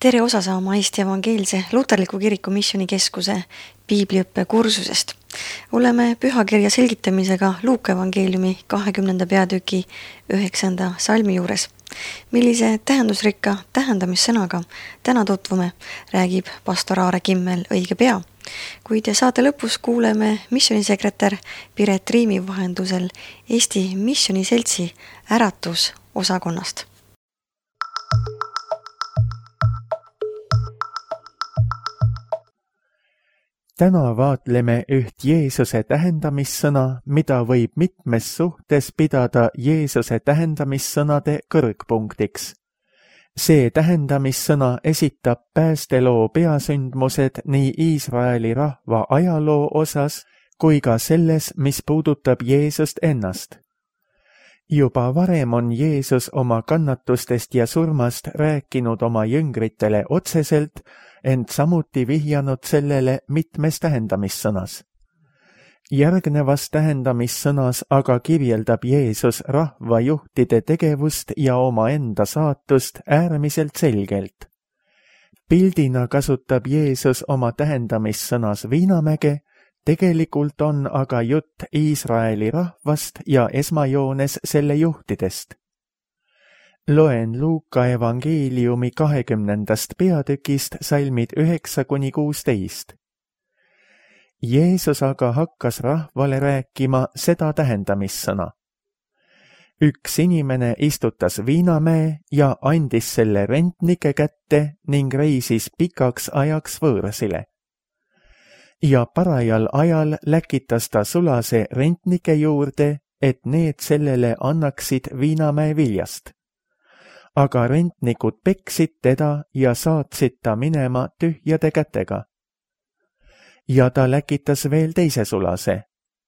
Tere osa saama Eesti Evangeelse Luterliku Kiriku Missioonikeskuse piibliõppe kursusest. Oleme pühakirja selgitamisega Luuka evangeeliumi 20. peatüki 9. salmi juures. Millise tähendusrikka tähendamissõnaga täna tutvume, räägib pastor Aare Kimmel õige pea. Kuid saate lõpus kuuleme missioonisekretär Piret Riimi vahendusel Eesti Missiooniseltsi äratusosakonnast. Täna vaatleme üht Jeesuse tähendamissõna, mida võib mitmes suhtes pidada Jeesuse tähendamissõnade kõrgpunktiks. See tähendamissõna esitab päästeloo peasündmused nii Iisraeli rahva ajaloo osas kui ka selles, mis puudutab Jeesust ennast. Juba varem on Jeesus oma kannatustest ja surmast rääkinud oma jüngritele otseselt, ent samuti vihjanud sellele mitmes tähendamissõnas. Järgnevas tähendamissõnas aga kirjeldab Jeesus rahvajuhtide tegevust ja omaenda saatust äärmiselt selgelt. Pildina kasutab Jeesus oma tähendamissõnas Viinamäge, tegelikult on aga jutt Iisraeli rahvast ja esmajoones selle juhtidest. Loen Luuka evangeeliumi 20. peatükist salmid 9-16. Jeesus aga hakkas rahvale rääkima seda tähendamissõna. Üks inimene istutas viinamäe ja andis selle rentnike kätte ning reisis pikaks ajaks võõrasile. Ja parajal ajal läkitas ta sulase rentnike juurde, et need sellele annaksid viinamäe viljast. Aga rentnikud peksid teda ja saatsid ta minema tühjade kätega. Ja ta läkitas veel teise sulase.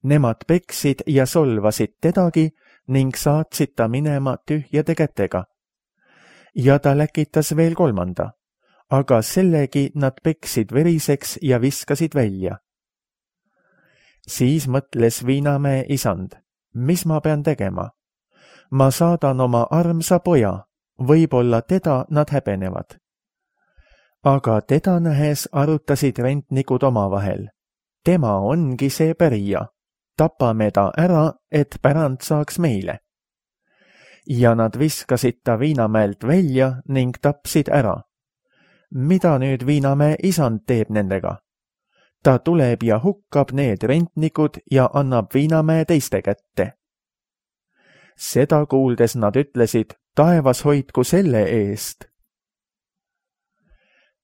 Nemad peksid ja solvasid tedagi ning saatsid ta minema tühjade kätega. Ja ta läkitas veel kolmanda, aga sellegi nad peksid veriseks ja viskasid välja. Siis mõtles Viinamäe isand, mis ma pean tegema? Ma saadan oma armsa poja. Võib-olla teda nad häbenevad. Aga teda nähes arutasid rentnikud omavahel. Tema ongi see pärija. Tapame ta ära, et pärand saaks meile. Ja nad viskasid ta Viinamäelt välja ning tapsid ära. Mida nüüd Viinamäe isand teeb nendega? Ta tuleb ja hukkab need rentnikud ja annab Viinamäe teiste kätte. Seda kuuldes nad ütlesid, taevas hoidku selle eest.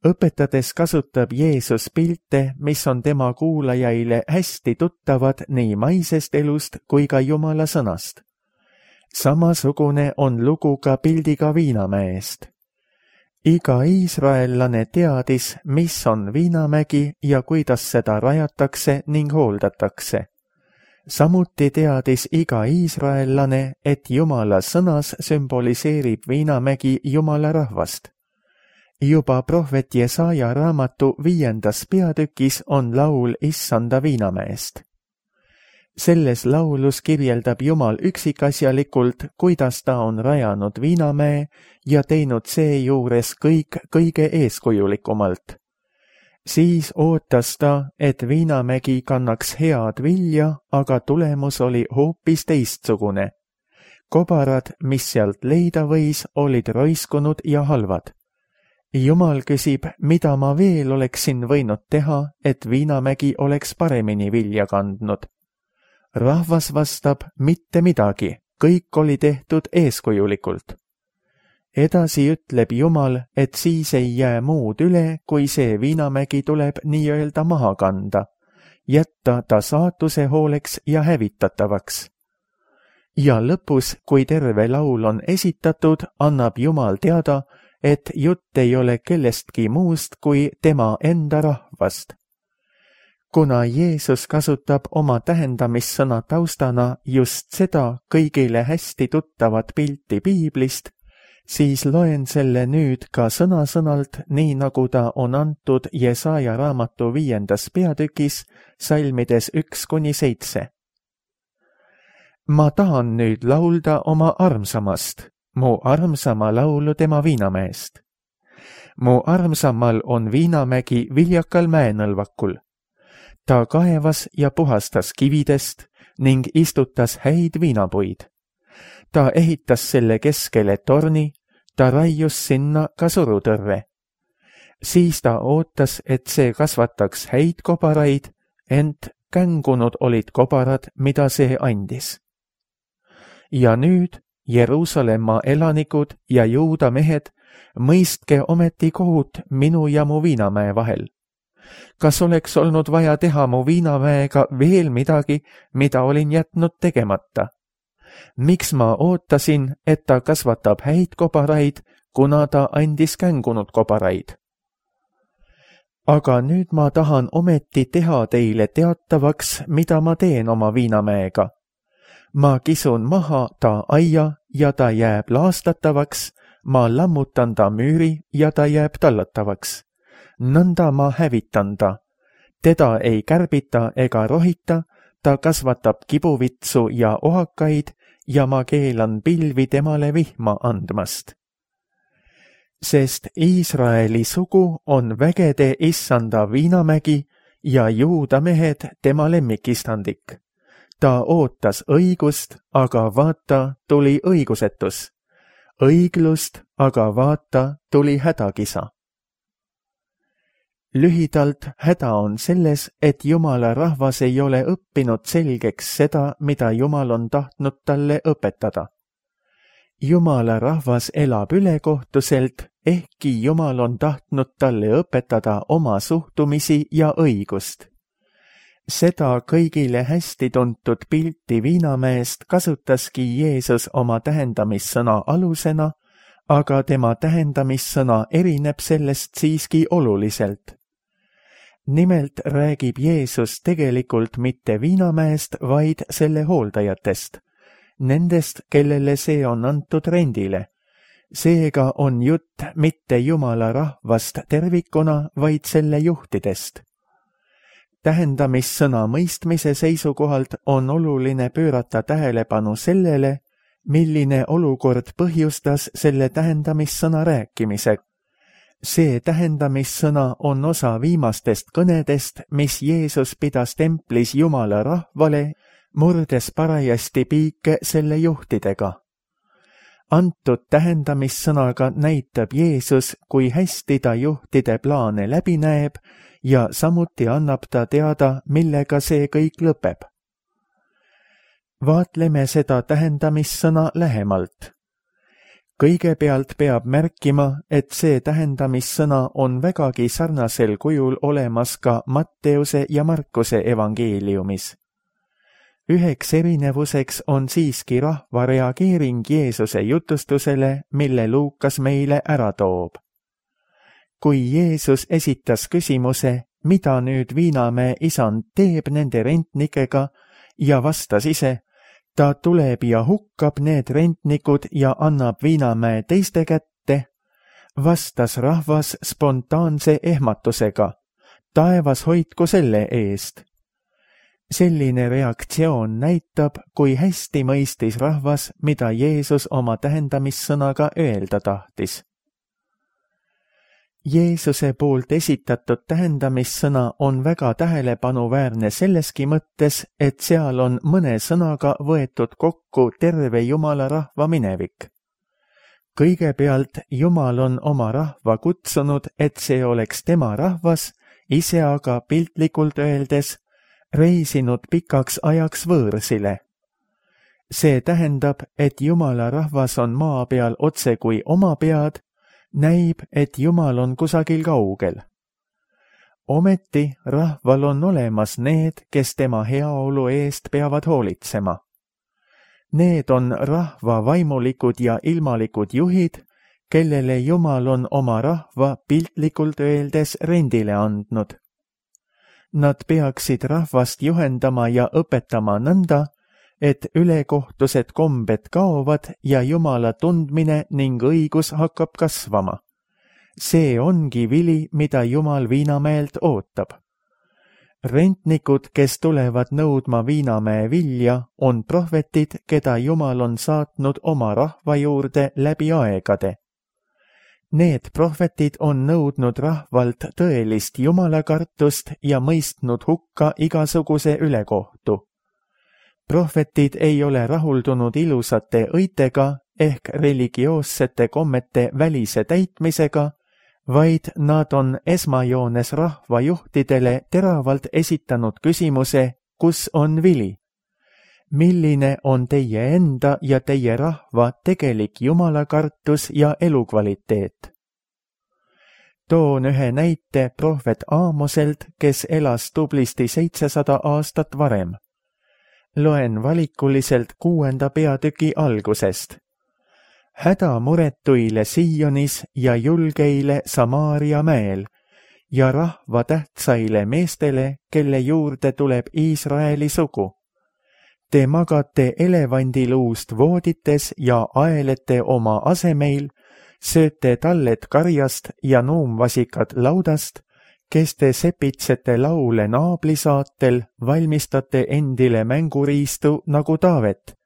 Õpetades kasutab Jeesus pilte, mis on tema kuulajaile hästi tuttavad nii maisest elust kui ka Jumala sõnast. Samasugune on lugu ka pildiga Viinamäest. Iga iisraellane teadis, mis on Viinamägi ja kuidas seda rajatakse ning hooldatakse. Samuti teadis iga iisraellane, et Jumala sõnas sümboliseerib Viinamägi Jumala rahvast. Juba prohvet Jesaja raamatu 5. peatükis on laul Issanda Viinamäest. Selles laulus kirjeldab Jumal üksikasjalikult, kuidas ta on rajanud Viinamäe ja teinud seejuures kõik kõige eeskujulikumalt. Siis ootas ta, et Viinamägi kannaks head vilja, aga tulemus oli hoopis teistsugune. Kobarad, mis sealt leida võis, olid roiskunud ja halvad. Jumal küsib, mida ma veel oleksin võinud teha, et Viinamägi oleks paremini vilja kandnud. Rahvas vastab, mitte midagi, kõik oli tehtud eeskujulikult. Edasi ütleb Jumal, et siis ei jää muud üle, kui see Viinamägi tuleb nii-öelda maha kanda, jätta ta saatuse hooleks ja hävitatavaks. Ja lõpus, kui terve laul on esitatud, annab Jumal teada, et jutt ei ole kellestki muust kui tema enda rahvast. Kuna Jeesus kasutab oma tähendamissõna taustana just seda kõigile hästi tuttavat pilti piiblist, siis loen selle nüüd ka sõna-sõnalt, nii nagu ta on antud Jesaja raamatu 5. peatükis, salmides 1-7. Ma tahan nüüd laulda oma armsamast, mu armsama laulu tema Viinamäest. Mu armsamal on viinamägi viljakal mäenõlvakul. Ta kaevas ja puhastas kividest ning istutas häid viinapuid. Ta ehitas selle keskele torni, ta raius sinna ka surutõrve. Siis ta ootas, et see kasvataks häid kobaraid, ent kängunud olid kobarad, mida see andis. Ja nüüd, Jeruusalemma elanikud ja Juuda mehed, mõistke ometi kohut minu ja mu viinamäe vahel. Kas oleks olnud vaja teha mu viinamäega veel midagi, mida olin jätnud tegemata? Miks ma ootasin, et ta kasvatab häid kobaraid, kuna ta andis kängunud kobaraid? Aga nüüd ma tahan ometi teha teile teatavaks, mida ma teen oma viinamäega. Ma kisun maha ta aia ja ta jääb laastatavaks, ma lammutan ta müüri ja ta jääb tallatavaks. Nõnda ma hävitan ta. Teda ei kärbita ega rohita, ta kasvatab kibuvitsu ja ohakaid ja ma keelan pilvi temale vihma andmast. Sest Iisraeli sugu on vägede issanda viinamägi ja Juuda mehed tema lemmikistandik. Ta ootas õigust, aga vaata, tuli õigusetus. Õiglust, aga vaata, tuli hädakisa. Lühidalt häda on selles, et Jumala rahvas ei ole õppinud selgeks seda, mida Jumal on tahtnud talle õpetada. Jumala rahvas elab ülekohtuselt, ehkki Jumal on tahtnud talle õpetada oma suhtumisi ja õigust. Seda kõigile hästi tuntud pilti viinamäest kasutaski Jeesus oma tähendamissõna alusena, aga tema tähendamissõna erineb sellest siiski oluliselt. Nimelt räägib Jeesus tegelikult mitte viinamäest, vaid selle hooldajatest, nendest, kellele see on antud rendile. Seega on jutt mitte Jumala rahvast tervikuna, vaid selle juhtidest. Tähendamissõna mõistmise seisukohalt on oluline pöörata tähelepanu sellele, milline olukord põhjustas selle tähendamissõna rääkimise. See tähendamissõna on osa viimastest kõnedest, mis Jeesus pidas templis Jumala rahvale, murdes parajasti piike selle juhtidega. Antud tähendamissõnaga näitab Jeesus, kui hästi ta juhtide plaane läbi näeb ja samuti annab ta teada, millega see kõik lõpeb. Vaatleme seda tähendamissõna lähemalt. Kõigepealt peab märkima, et see tähendamissõna on vägagi sarnasel kujul olemas ka Matteuse ja Markuse evangeeliumis. Üheks erinevuseks on siiski rahva reageering Jeesuse jutustusele, mille Luukas meile ära toob. Kui Jeesus esitas küsimuse, mida nüüd viinamäe isand teeb nende rentnikega, ja vastas ise, ta tuleb ja hukkab need rentnikud ja annab viinamäe teiste kätte, vastas rahvas spontaanse ehmatusega, taevas hoidku selle eest. Selline reaktsioon näitab, kui hästi mõistis rahvas, mida Jeesus oma tähendamissõnaga öelda tahtis. Jeesuse poolt esitatud tähendamissõna on väga tähelepanuväärne selleski mõttes, et seal on mõne sõnaga võetud kokku terve Jumala rahva minevik. Kõigepealt Jumal on oma rahva kutsunud, et see oleks tema rahvas, ise aga piltlikult öeldes reisinud pikaks ajaks võõrsile. See tähendab, et Jumala rahvas on maa peal otse kui oma pead, näib, et Jumal on kusagil kaugel. Ometi rahval on olemas need, kes tema heaolu eest peavad hoolitsema. Need on rahva vaimulikud ja ilmalikud juhid, kellele Jumal on oma rahva piltlikult öeldes rendile andnud. Nad peaksid rahvast juhendama ja õpetama nõnda, et ülekohtused kombed kaovad ja Jumala tundmine ning õigus hakkab kasvama. See ongi vili, mida Jumal viinamäelt ootab. Rentnikud, kes tulevad nõudma viinamäe vilja, on prohvetid, keda Jumal on saatnud oma rahva juurde läbi aegade. Need prohvetid on nõudnud rahvalt tõelist jumalakartust ja mõistnud hukka igasuguse ülekohtu. Prohvetid ei ole rahuldunud ilusate õitega ehk religioossete kommete välise täitmisega, vaid nad on esmajoones rahvajuhtidele teravalt esitanud küsimuse, kus on vili? Milline on teie enda ja teie rahva tegelik jumalakartus ja elukvaliteet? Toon ühe näite prohvet Aamoselt, kes elas tublisti 700 aastat varem. Loen valikuliselt 6. peatüki algusest. Hädamuretuile Sionis ja julgeile Samaaria mäel ja rahva tähtsaile meestele, kelle juurde tuleb Iisraeli sugu. Te magate elevandiluust voodites ja aelete oma asemeil, sööte talled karjast ja nuumvasikad laudast, kes te sepitsete laule naablisaatel, valmistate endile mänguriistu nagu Taavet,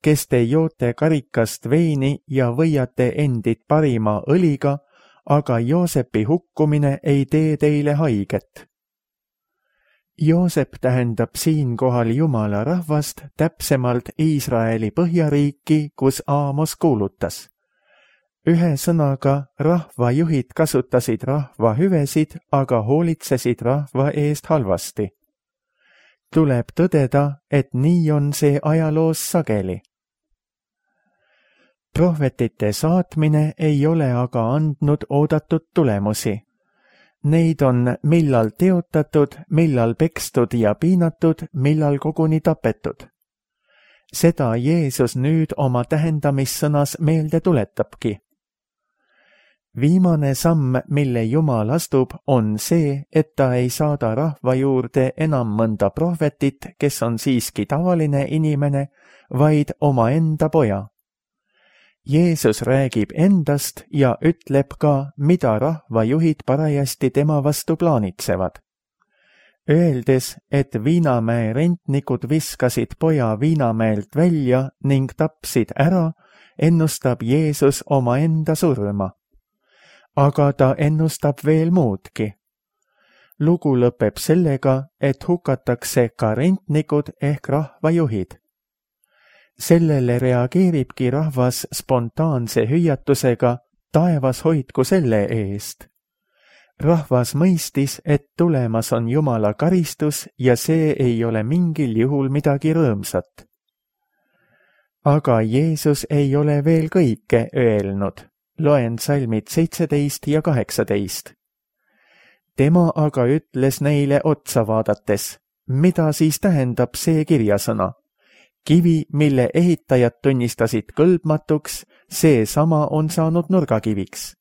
kes te joote karikast veini ja võiate endid parima õliga, aga Joosepi hukkumine ei tee teile haiget. Joosep tähendab siinkohal Jumala rahvast, täpsemalt Iisraeli põhjariiki, kus Aamos kuulutas. Ühe sõnaga rahvajuhid kasutasid rahva hüvesid, aga hoolitsesid rahva eest halvasti. Tuleb tõdeda, et nii on see ajaloos sageli. Prohvetite saatmine ei ole aga andnud oodatud tulemusi. Neid on millal teotatud, millal pekstud ja piinatud, millal koguni tapetud. Seda Jeesus nüüd oma tähendamissõnas meelde tuletabki. Viimane samm, mille Jumal astub, on see, et ta ei saada rahva juurde enam mõnda prohvetit, kes on siiski tavaline inimene, vaid omaenda poja. Jeesus räägib endast ja ütleb ka, mida rahvajuhid parajasti tema vastu plaanitsevad. Öeldes, et Viinamäe rentnikud viskasid poja Viinamäelt välja ning tapsid ära, ennustab Jeesus omaenda surma. Aga ta ennustab veel muudki. Lugu lõpeb sellega, et hukatakse ka rentnikud ehk rahvajuhid. Sellele reageeribki rahvas spontaanse hüüatusega, taevas hoidku selle eest. Rahvas mõistis, et tulemas on Jumala karistus ja see ei ole mingil juhul midagi rõõmsat. Aga Jeesus ei ole veel kõike öelnud. Loen salmid 17 ja 18. Tema aga ütles neile otsa vaadates, mida siis tähendab see kirjasõna? Kivi, mille ehitajad tunnistasid kõlbmatuks, seesama on saanud nurgakiviks.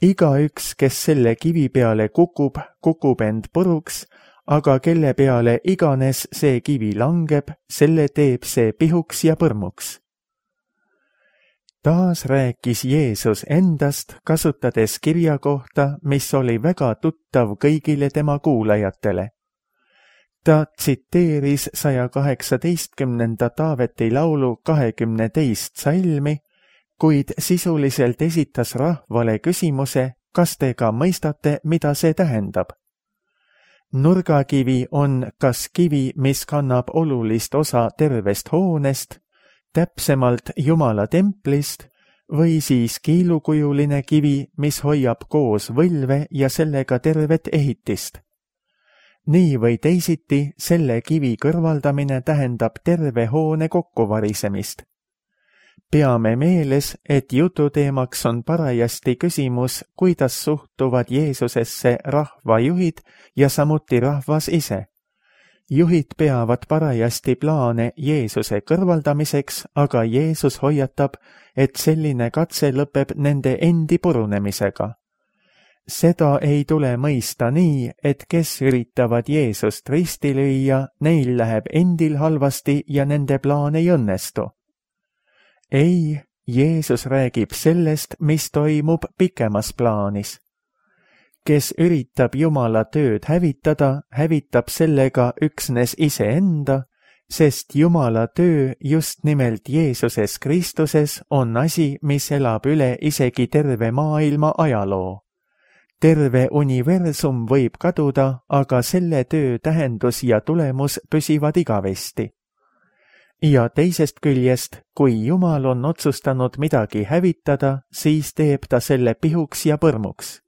Igaüks, kes selle kivi peale kukub, kukub end puruks, aga kelle peale iganes see kivi langeb, selle teeb see pihuks ja põrmuks. Taas rääkis Jeesus endast, kasutades kirja kohta, mis oli väga tuttav kõigile tema kuulajatele. Ta tsiteeris 118. Taaveti laulu 22. salmi, kuid sisuliselt esitas rahvale küsimuse, kas te ka mõistate, mida see tähendab. Nurgakivi on kas kivi, mis kannab olulist osa tervest hoonest, täpsemalt Jumala templist, või siis kiilukujuline kivi, mis hoiab koos võlve ja sellega tervet ehitist. Nii või teisiti, selle kivi kõrvaldamine tähendab terve hoone kokkuvarisemist. Peame meeles, et jututeemaks on parajasti küsimus, kuidas suhtuvad Jeesusesse rahvajuhid ja samuti rahvas ise. Juhid peavad parajasti plaane Jeesuse kõrvaldamiseks, aga Jeesus hoiatab, et selline katse lõpeb nende endi purunemisega. Seda ei tule mõista nii, et kes üritavad Jeesust risti lüüa, neil läheb endil halvasti ja nende plaan ei õnnestu. Ei, Jeesus räägib sellest, mis toimub pikemas plaanis. Kes üritab Jumala tööd hävitada, hävitab sellega üksnes iseenda, sest Jumala töö just nimelt Jeesuses Kristuses on asi, mis elab üle isegi terve maailma ajaloo. Terve universum võib kaduda, aga selle töö tähendus ja tulemus püsivad igavesti. Ja teisest küljest, kui Jumal on otsustanud midagi hävitada, siis teeb ta selle pihuks ja põrmuks.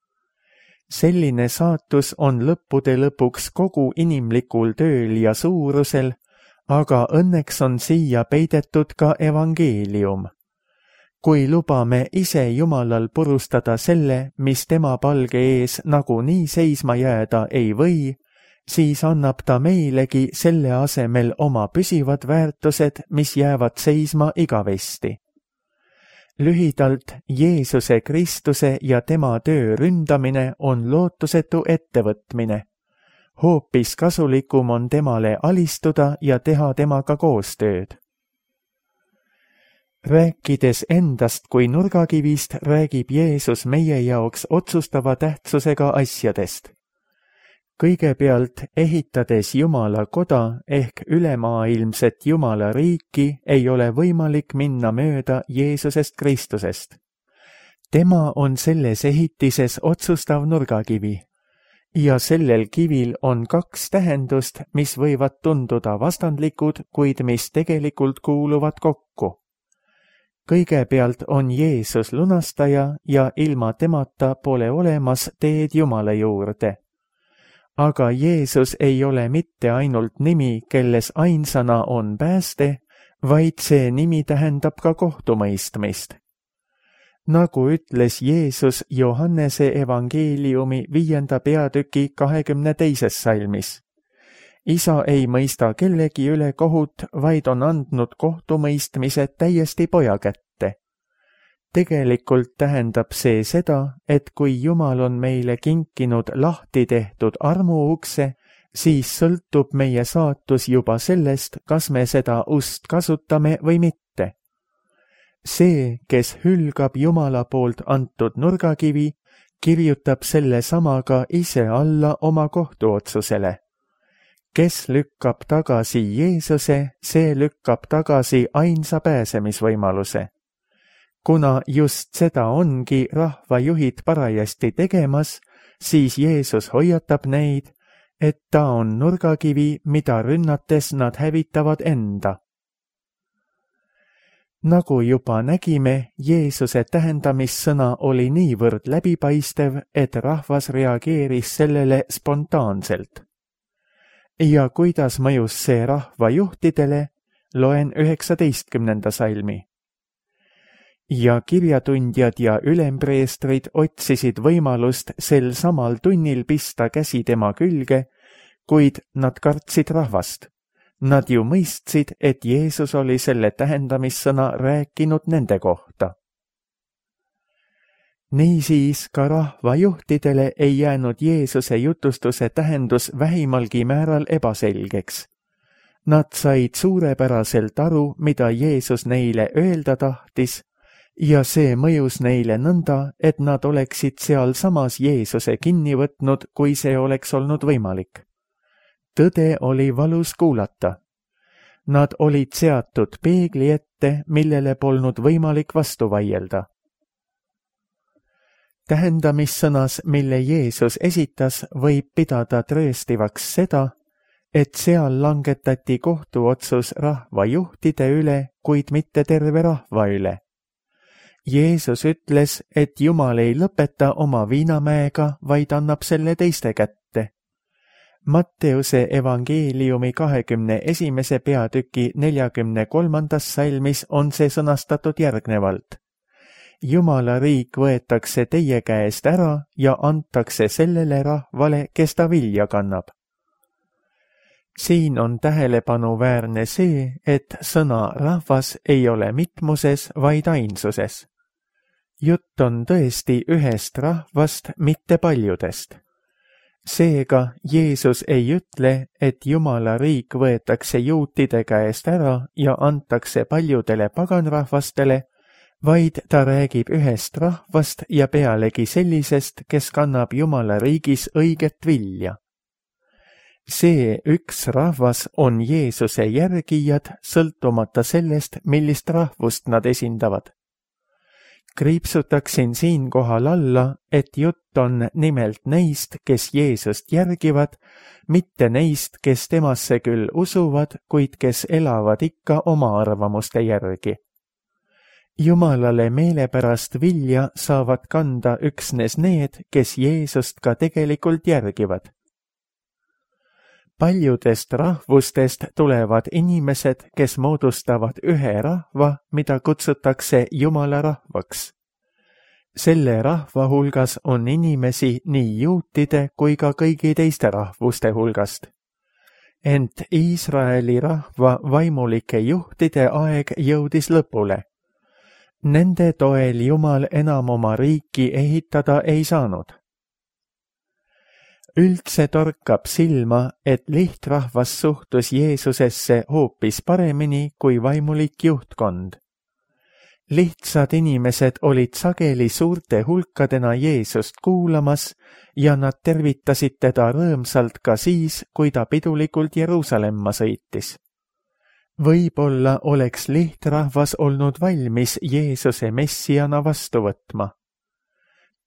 Selline saatus on lõppude lõpuks kogu inimlikul tööl ja suurusel, aga õnneks on siia peidetud ka evangeelium. Kui lubame ise Jumalal purustada selle, mis tema palge ees nagunii seisma jääda ei või, siis annab ta meilegi selle asemel oma püsivad väärtused, mis jäävad seisma igavesti. Lühidalt, Jeesuse Kristuse ja tema töö ründamine on lootusetu ettevõtmine. Hoopis kasulikum on temale alistuda ja teha temaga koostööd. Rääkides endast kui nurgakivist, räägib Jeesus meie jaoks otsustava tähtsusega asjadest. Kõigepealt, ehitades Jumala koda ehk ülemaailmset Jumala riiki, ei ole võimalik minna mööda Jeesusest Kristusest. Tema on selles ehitises otsustav nurgakivi. Ja sellel kivil on kaks tähendust, mis võivad tunduda vastandlikud, kuid mis tegelikult kuuluvad kokku. Kõigepealt on Jeesus lunastaja ja ilma temata pole olemas teed Jumala juurde. Aga Jeesus ei ole mitte ainult nimi, kelles ainsana on pääste, vaid see nimi tähendab ka kohtumõistmist. Nagu ütles Jeesus Johannese evangeeliumi 5. peatüki 22. salmis. Isa ei mõista kellegi üle kohut, vaid on andnud kohtumõistmise täiesti poja kätte. Tegelikult tähendab see seda, et kui Jumal on meile kinkinud lahti tehtud armuukse, siis sõltub meie saatus juba sellest, kas me seda ust kasutame või mitte. See, kes hülgab Jumala poolt antud nurgakivi, kirjutab selle samaga ise alla oma kohtuotsusele. Kes lükkab tagasi Jeesuse, see lükkab tagasi ainsa pääsemisvõimaluse. Kuna just seda ongi rahvajuhid parajasti tegemas, siis Jeesus hoiatab neid, et ta on nurgakivi, mida rünnates nad hävitavad enda. Nagu juba nägime, Jeesuse tähendamissõna oli niivõrd läbipaistev, et rahvas reageeris sellele spontaanselt. Ja kuidas mõjus see rahvajuhtidele, loen 19. salmi. Ja kirjatundjad ja ülempreestrid otsisid võimalust sel samal tunnil pista käsi tema külge, kuid nad kartsid rahvast. Nad ju mõistsid, et Jeesus oli selle tähendamissõna rääkinud nende kohta. Niisiis ka rahvajuhtidele ei jäänud Jeesuse jutustuse tähendus vähimalgi määral ebaselgeks. Nad said suurepäraselt aru, mida Jeesus neile öelda tahtis, ja see mõjus neile nõnda, et nad oleksid sealsamas Jeesuse kinni võtnud, kui see oleks olnud võimalik. Tõde oli valus kuulata. Nad olid seatud peegli ette, millele polnud võimalik vastu vaielda. Tähendamissõnas, mille Jeesus esitas, võib pidada trööstivaks seda, et seal langetati kohtuotsus rahvajuhtide üle, kuid mitte terve rahva üle. Jeesus ütles, et Jumal ei lõpeta oma viinamäega, vaid annab selle teiste kätte. Matteuse evangeeliumi 21. peatüki 43. salmis on see sõnastatud järgnevalt. Jumala riik võetakse teie käest ära ja antakse sellele rahvale, kes ta vilja kannab. Siin on tähelepanuväärne see, et sõna rahvas ei ole mitmuses, vaid ainsuses. Jutt on tõesti ühest rahvast, mitte paljudest. Seega Jeesus ei ütle, et Jumala riik võetakse juutide käest ära ja antakse paljudele paganrahvastele, vaid ta räägib ühest rahvast ja pealegi sellisest, kes kannab Jumala riigis õiget vilja. See üks rahvas on Jeesuse järgijad, sõltumata sellest, millist rahvust nad esindavad. Kriipsutaksin siinkohal alla, et jutt on nimelt neist, kes Jeesust järgivad, mitte neist, kes temasse küll usuvad, kuid kes elavad ikka oma arvamuste järgi. Jumalale meelepärast vilja saavad kanda üksnes need, kes Jeesust ka tegelikult järgivad. Paljudest rahvustest tulevad inimesed, kes moodustavad ühe rahva, mida kutsutakse Jumala rahvaks. Selle rahva hulgas on inimesi nii juutide kui ka kõigi teiste rahvuste hulgast. Ent Iisraeli rahva vaimulike juhtide aeg jõudis lõpule. Nende toel Jumal enam oma riiki ehitada ei saanud. Üldse torkab silma, et lihtrahvas suhtus Jeesusesse hoopis paremini kui vaimulik juhtkond. Lihtsad inimesed olid sageli suurte hulkadena Jeesust kuulamas ja nad tervitasid teda rõõmsalt ka siis, kui ta pidulikult Jeruusalemma sõitis. Võib-olla oleks lihtrahvas olnud valmis Jeesuse messiana vastu võtma.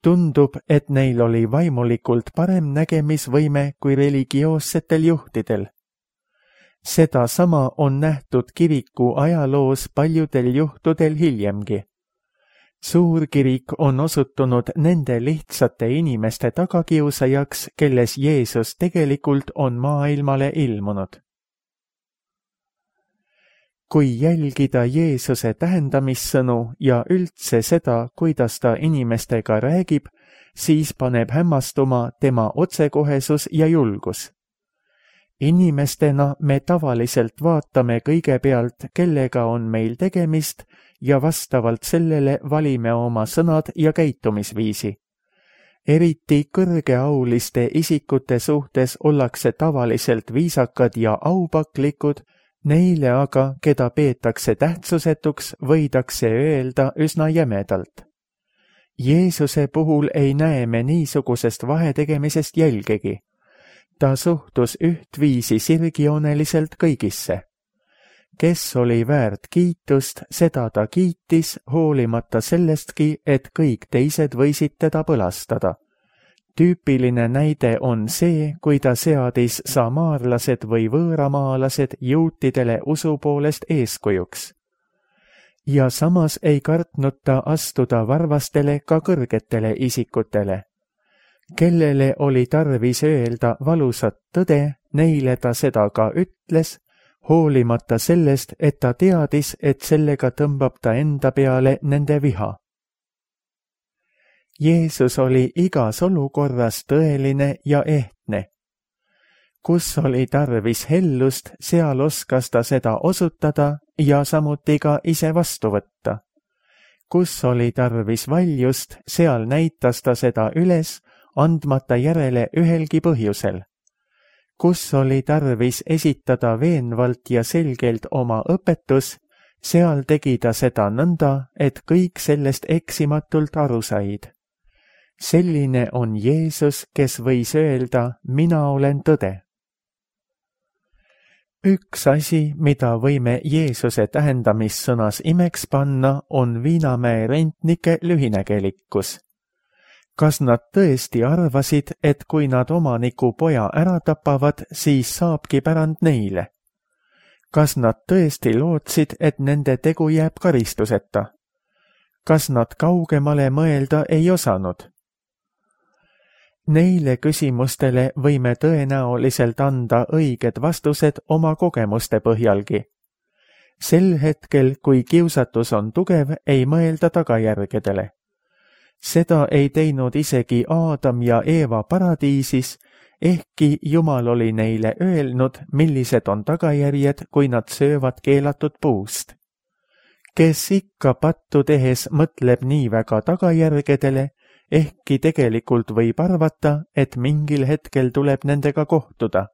Tundub, et neil oli vaimulikult parem nägemisvõime kui religioossetel juhtidel. Seda sama on nähtud kiriku ajaloos paljudel juhtudel hiljemgi. Suurkirik on osutunud nende lihtsate inimeste tagakiusajaks, kelles Jeesus tegelikult on maailmale ilmunud. Kui jälgida Jeesuse tähendamissõnu ja üldse seda, kuidas ta inimestega räägib, siis paneb hämmastuma tema otsekohesus ja julgus. Inimestena me tavaliselt vaatame kõigepealt, kellega on meil tegemist ja vastavalt sellele valime oma sõnad ja käitumisviisi. Eriti kõrgeauliste isikute suhtes ollakse tavaliselt viisakad ja aupaklikud, neile aga, keda peetakse tähtsusetuks, võidakse öelda üsna jämedalt. Jeesuse puhul ei näe me niisugusest vahetegemisest jälgegi. Ta suhtus ühtviisi sirgjooneliselt kõigisse. Kes oli väärt kiitust, seda ta kiitis, hoolimata sellestki, et kõik teised võisid teda põlastada. Tüüpiline näide on see, kui ta seadis samaarlased või võõramaalased juutidele usu poolest eeskujuks. Ja samas ei kartnud ta astuda varvastele ka kõrgetele isikutele. Kellele oli tarvis öelda valusat tõde, neile ta seda ka ütles, hoolimata sellest, et ta teadis, et sellega tõmbab ta enda peale nende viha. Jeesus oli igas olukorras tõeline ja ehtne. Kus oli tarvis hellust, seal oskas ta seda osutada ja samuti ka ise vastu võtta. Kus oli tarvis valjust, seal näitas ta seda üles, andmata järele ühelgi põhjusel. Kus oli tarvis esitada veenvalt ja selgelt oma õpetus, seal tegi ta seda nõnda, et kõik sellest eksimatult aru said. Selline on Jeesus, kes võis öelda, mina olen tõde. Üks asi, mida võime Jeesuse tähendamissõnas imeks panna, on Viinamäe rentnike lühinägelikkus. Kas nad tõesti arvasid, et kui nad omaniku poja ära tapavad, siis saabki pärand neile? Kas nad tõesti lootsid, et nende tegu jääb karistuseta? Kas nad kaugemale mõelda ei osanud? Neile küsimustele võime tõenäoliselt anda õiged vastused oma kogemuste põhjalgi. Sel hetkel, kui kiusatus on tugev, ei mõelda tagajärgedele. Seda ei teinud isegi Aadam ja Eeva paradiisis, ehkki Jumal oli neile öelnud, millised on tagajärjed, kui nad söövad keelatud puust. Kes ikka pattu tehes mõtleb nii väga tagajärgedele, ehkki tegelikult võib arvata, et mingil hetkel tuleb nendega kohtuda.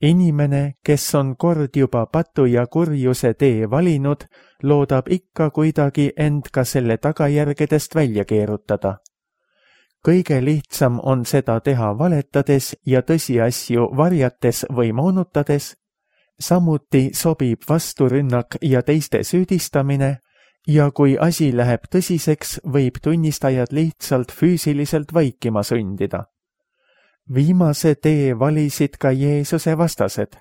Inimene, kes on kord juba patu ja kurjuse tee valinud, loodab ikka kuidagi end ka selle tagajärgedest välja keerutada. kõige lihtsam on seda teha valetades ja tõsiasju varjates või moonutades. Samuti sobib vasturünnak ja teiste süüdistamine ja kui asi läheb tõsiseks, võib tunnistajad lihtsalt füüsiliselt vaikima sundida. Viimase tee valisid ka Jeesuse vastased.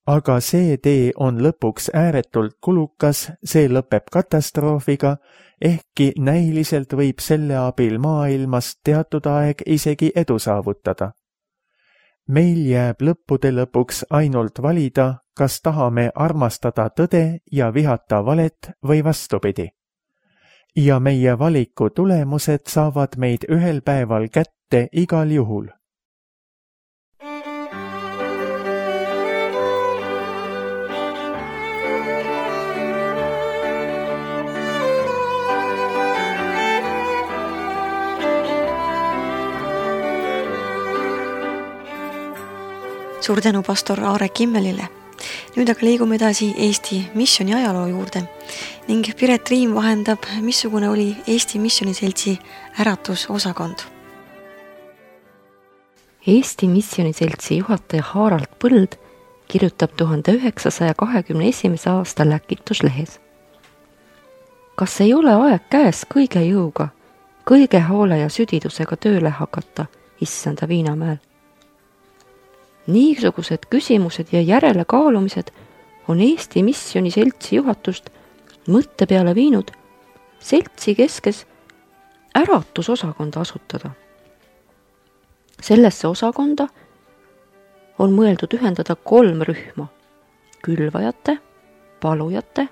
Aga see tee on lõpuks ääretult kulukas, see lõpeb katastroofiga, ehkki näiliselt võib selle abil maailmas teatud aeg isegi edu saavutada. Meil jääb lõppude lõpuks ainult valida, kas tahame armastada tõde ja vihata valet või vastupidi. Ja meie valiku tulemused saavad meid ühel päeval kätte igal juhul. Suur tänu pastor Aare Kimmelile. Nüüd aga liigume edasi Eesti missiooni ajaloo juurde ning Piret Riim vahendab, missugune oli Eesti Missiooniseltsi äratusosakond. Eesti Missiooniseltsi juhataja Harald Põld kirjutab 1921. aasta Läkituslehes. Kas ei ole aeg käes kõige jõuga, kõige hoole ja südidusega tööle hakata, issanda Viinamäel? Niisugused küsimused ja järelekaalumised on Eesti Missiooniseltsi juhatust mõtte peale viinud seltsi keskes äratusosakonda asutada. Sellesse osakonda on mõeldud ühendada 3 rühma: külvajate, palujate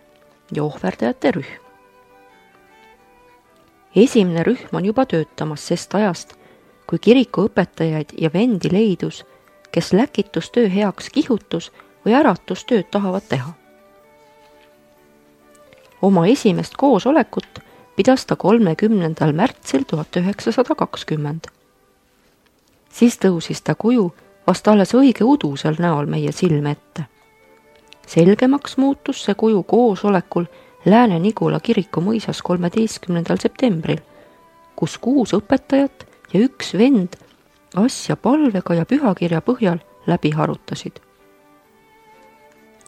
ja ohverdajate rühm. Esimene rühm on juba töötamas sest ajast, kui kiriku õpetajaid ja vendi leidus, kes läkitustöö heaks kihutus või äratustööd tahavad teha. Oma esimest koosolekut pidas ta 30. märtsil 1920. Siis tõusis ta kuju vast alles õige udusel näol meie silme ette. Selgemaks muutus see kuju koosolekul Lääne-Nigula kiriku mõisas 13. septembril, kus 6 õpetajat ja 1 vend asja palvega ja pühakirja põhjal läbi harutasid.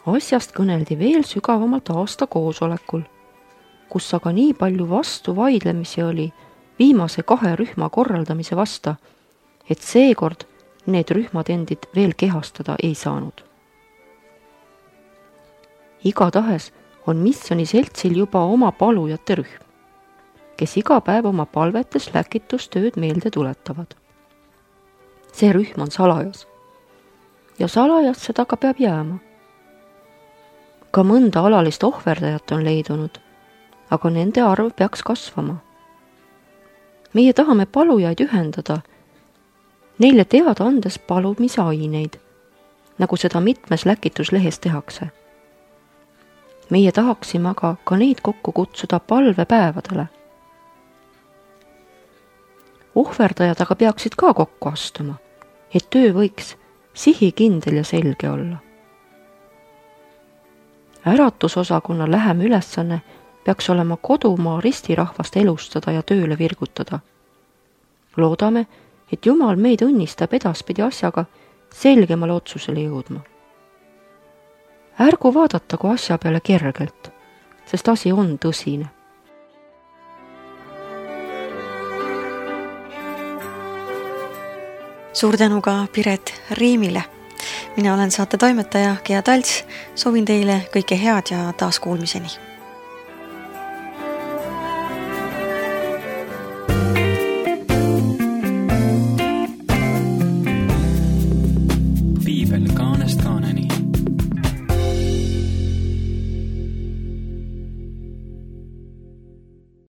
Asjast kõneldi veel sügavamalt aasta koosolekul, kus aga nii palju vastuvaidlemisi oli viimase 2 rühma korraldamise vasta, et seekord need rühmad endid veel kehastada ei saanud. Igatahes on Missiooniseltsil juba oma palujate rühm, kes iga päev oma palvetes läkitustööd meelde tuletavad. See rühm on salajas ja salajas seda ka peab jääma. Ka mõnda alalist ohverdajat on leidunud, aga nende arv peaks kasvama. Meie tahame palujaid ühendada, neile teada andes palumise aineid, nagu seda mitmes läkituslehes tehakse. Meie tahaksime aga ka neid kokku kutsuda palvepäevadele. Ohverdajad aga peaksid ka kokku astuma, et töö võiks sihikindel ja selge olla. Äratusosakonna lähem ülesanne peaks olema kodumaa ristirahvast elustada ja tööle virgutada. Loodame, et Jumal meid õnnistab edaspidi asjaga selgemale otsusele jõudma. Ärgu vaadatagu asja peale kergelt, sest asi on tõsine. Suur tänu ka Piret Riimile. Mina olen saate toimetaja Gea Talts, soovin teile kõike head ja taas kuulmiseni.